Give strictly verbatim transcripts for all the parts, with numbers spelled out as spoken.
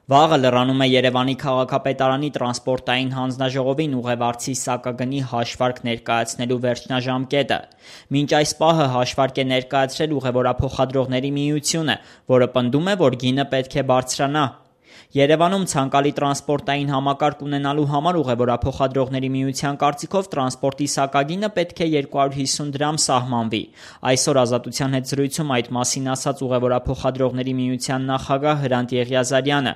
Վաղը լրանում է Երևանի քաղաքապետարանի տրանսպորտային հանձնաժողովին ուղևորցի սակագնի հաշվարկ ներկայացնելու վերջնաժամկետը։ Մինչ այս պահը հաշվարկ է ներկայացրել ուղևորափոխադրողների միությունը, որը պնդում է, որ գինը պետք է բարձրանա։ Երևանում ցանկալի տրանսպորտային համակարգ ունենալու համար ուղևորափոխադրողների միության կարծիքով տրանսպորտի սակագինը պետք է երկու հարյուր հիսուն դրամ սահմանվի։ Այսօր Ազատության հետ զրույցում այդ մասին ասաց ուղևորափոխադրողների միության նախագահ Հրանտ Եղիազարյանը։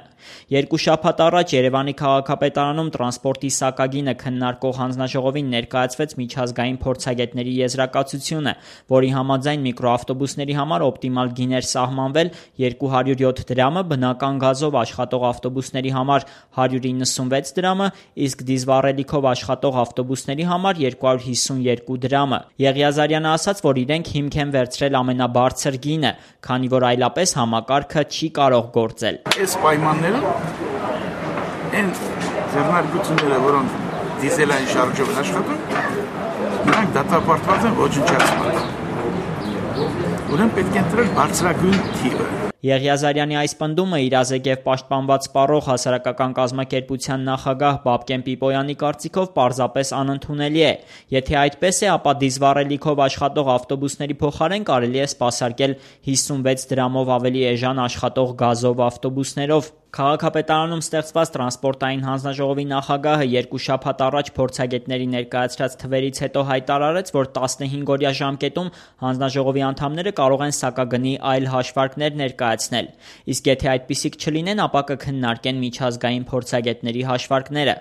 Երկու շաբաթ առաջ Երևանի քաղաքապետարանում տրանսպորտի սակագինը քննարկող հանձնաժողովին ներկայացվեց միջազգային փորձագետների եզրակացությունը, որի համաձայն միկրոավտոբուսների համար օպտիմալ գին էր սահմանվել երկու հարյուր յոթ դրամը, բնական գազով աշխատող ավտոբուսների համար հարյուր իննսունվեց դրամը, իսկ դիզվառելիքով աշխատող ավտոբուսների համար երկու հարյուր հիսուն երկու դրամը։ Եղիազարյանը ասաց, որ իրենք հիմք են վերցրել ամենաբարձր գինը, քանի որ այլապես համակարգը չի կարող գործել։ Այս պայմաններում այն ձեռնարկությունները, որոնք դիզելային շարժով են աշխատում, նրանք դատապարտված են ոչնչացման։ Ուրեմն պետք է ընտրել բարձրագույն թիվը։ Եղիազարյանի այս պնդումը իրազեգև պաշտպանված սպառող հասարակական կազմակերպության նախագահ Բաբկեն Պիպոյանի կարծիքով պարզապես անընդունելի է։ Եթե այդպես է, ապա դիզվառելիքով աշխատող ավտոբուսների փոխարեն կարելի է սպասարկել հիսունվեց դրամով ավելի էժան աշխատող գազով ավտոբուսներով։ Քաղաքապետարանում ստեղծված տրանսպորտային հանձնաժողովի նախագահը երկու շաբաթ առաջ փորձագետների ներկայացրած թվերից հետո հայտարարեց, որ տասնհինգ-օրյա ժամկետում հանձնաժողովի անդամները կարող են սակագնի այլ հաշվարկներ ներկայացնել։ Իսկ եթե այդպիսիք չլինեն, ապա կքննարկեն միջազգային փորձագետների հաշվարկները։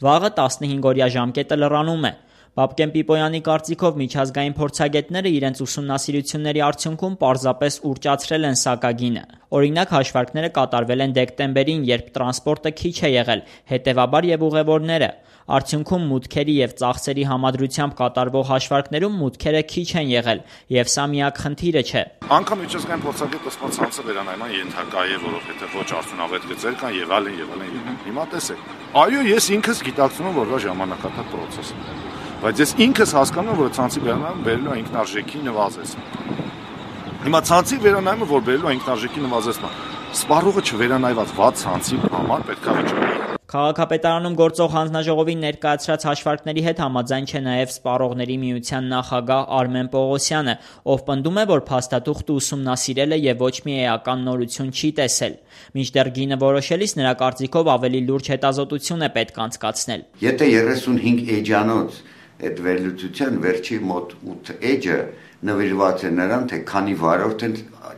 Վաղը տասնհինգ-օրյա ժամկետը լրանում է։ Բաբկեն Պիպոյանի կարծիքով միջազգային փորձագետները իրենց ուսումնասիրությունների արդյունքում պարզապես ուռճացրել են սակագինը։ Օրինակ, հաշվարկները կատարվել են դեկտեմբերին, երբ տրանսպորտը քիչ է եղել, հետևաբար եւ ուղևորները։ Արդյունքում մուտքերի եւ ծախսերի համադրությամբ կատարվող հաշվարկներում մուտքերը քիչ են եղել, եւ սա միակ խնդիրը չէ։ Անկամ միջազգային փորձագետը սպասած ցանցը վերանայման ենթակա է, որովհետեւ ոչ արդյունավետ գծեր կան եւ այլն եւ այլն։ Հիմա տեսեք։ Այո, ես ինքս գիտակցում եմ, որ դա ժամանակատար process է։ Բայց ես ինքս հասկանում եմ, որ ցանցի վերանայումը բերելու է ինքնարժեքի նվազեցման։ Հիմա ցանցի վերանայումը, որ բերելու է ինքնարժեքի նվազեցման, սպառողը չվերանայված վատ ցանցի համար պետք է վճարի։ Քաղաքապետարանում գործող հանձնաժողովին ներկայացրած հաշվարկների հետ համաձայն չէ նաև սպառողների միության նախագահ Արմեն Պողոսյանը, ով պնդում է, որ փաստաթուղթը ուսումնասիրել է եւ ոչ մի էական նորություն չի տեսել։ Մինչդեռ գինը որոշելիս նրա կարծիքով ավելի լուրջ հետազոտություն է պետք անցկացնել։ Եթե երեսունհինգ էջանոց այդ վերլուծության վերջի մոտ ութ էջը նվիրված է նրան, թե քանի վարորդ են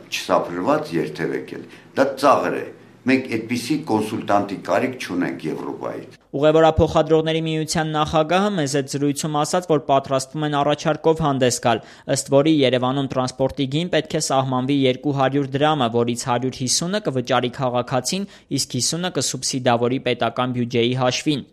չսափրված երթևեկել, դա ծաղր է։ Մենք այդպիսի կոնսուլտանտի կարիք չունենք Եվրոպայից։ Ուղևորափոխադրողների միության նախագահը մեզ այդ զրույցում ասաց, որ պատրաստվում են առաջարկով հանդես գալ, ըստ որի Երևանում տրանսպորտի գին պետք է սահմանվի երկու հարյուր դրամը, որից հարյուր հիսունը կվճարի քաղաքացին, իսկ հիսունը կսուբսիդավորի պետական բյուջեի հաշվին։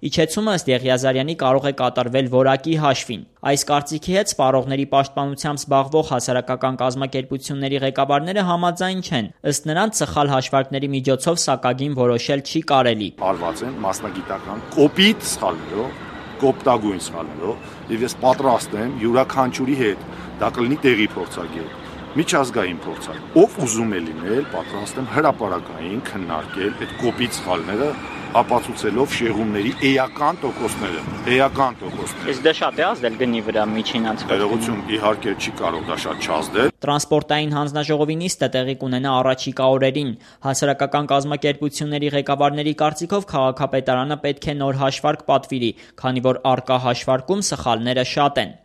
Իջեցումը ըստ Եղիազարյանի կարող է կատարվել որակի հաշվին։ Այս կարծիքի հետ սպառողների պաշտպանությամբ զբաղվող հասարակական կազմակերպությունների ղեկավարները համաձայն չեն։ Ըստ նրանց սխալ հաշվարկների միջոցով սակագին որոշել չի կարելի։ Արված են մասնագիտական կոպիտ սխալներով, կոպտագույն սխալներով, եւ ես պատրաստ եմ յուրաքանչյուրի հետ, դա կլինի տեղի փորձագետ, միջազգային փորձագետ, ով ուզում է լինել, պատրաստ եմ հրապարակային քննարկել այդ կոպիտ սխալները, ապացուցելով շեղումների էական տոկոսները, էական տոկոսները։ Իսկ դա շատ է ազդել գնի վրա միջին անցկացումը։ Ներողություն, իհարկե չի կարող դա շատ չազդել։ Տրանսպորտային հանձնաժողովի նիստը տեղի կունենա առաջիկա օրերին։ Հասարակական կազմակերպությունների ղեկավարների կարծիքով քաղաքապետարանը պետք է նոր հաշվարկ պատվիրի, քանի որ առկա հաշվարկում սխալները շատ են։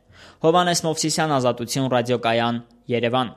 Հովհաննես Մովսիսյան, Ազատություն ռադիոկայան, Երևան։